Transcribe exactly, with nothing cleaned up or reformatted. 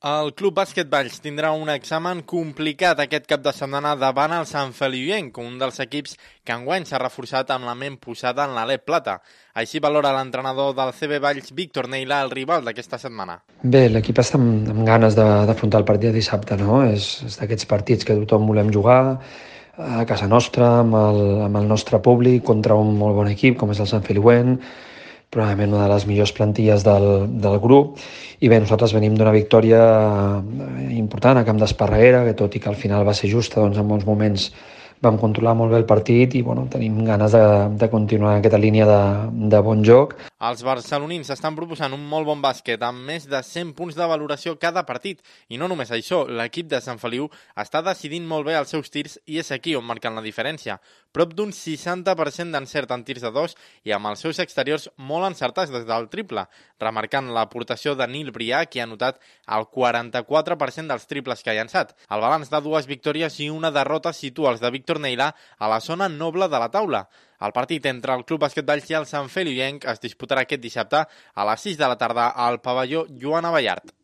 El Club Bàsquet Valls tindrà un examen complicat aquest cap de setmana davant el Sant Feliuenc, un dels equips que enguany s'ha reforçat amb la ment posada en l'Alep Plata. Així valora l'entrenador del C B Valls, Víctor Neilà, el rival d'aquesta setmana. Bé, l'equip està amb, amb ganes d'afrontar el partit de dissabte, no? És, és d'aquests partits que tothom volem jugar a casa nostra, amb el, amb el nostre públic, contra un molt bon equip com és el Sant Feliuenc, probablement una de les millors plantilles del, del grup, i bé, nosaltres venim d'una victòria important a Camp d'Esparreguera, que tot i que al final va ser justa, doncs en molts moments vam controlar molt bé el partit i bueno, tenim ganes de, de continuar en aquesta línia de, de bon joc. Els barcelonins estan proposant un molt bon bàsquet amb més de cent punts de valoració cada partit. I no només això, l'equip de Sant Feliu està decidint molt bé els seus tirs i és aquí on marquen la diferència. Prop d'un seixanta per cent d'encert en tirs de dos i amb els seus exteriors molt encertats des del triple, remarcant l'aportació de Nil Brià, que ha anotat el quaranta-quatre per cent dels triples que ha llançat. El balanç de dues victòries i una derrota situa els de Víctor Neilà a la zona noble de la taula. El partit entre el Club Bàsquet Valls i el Sant Feliuenc es disputarà aquest dissabte a les sis de la tarda al pavelló Joan Abellart.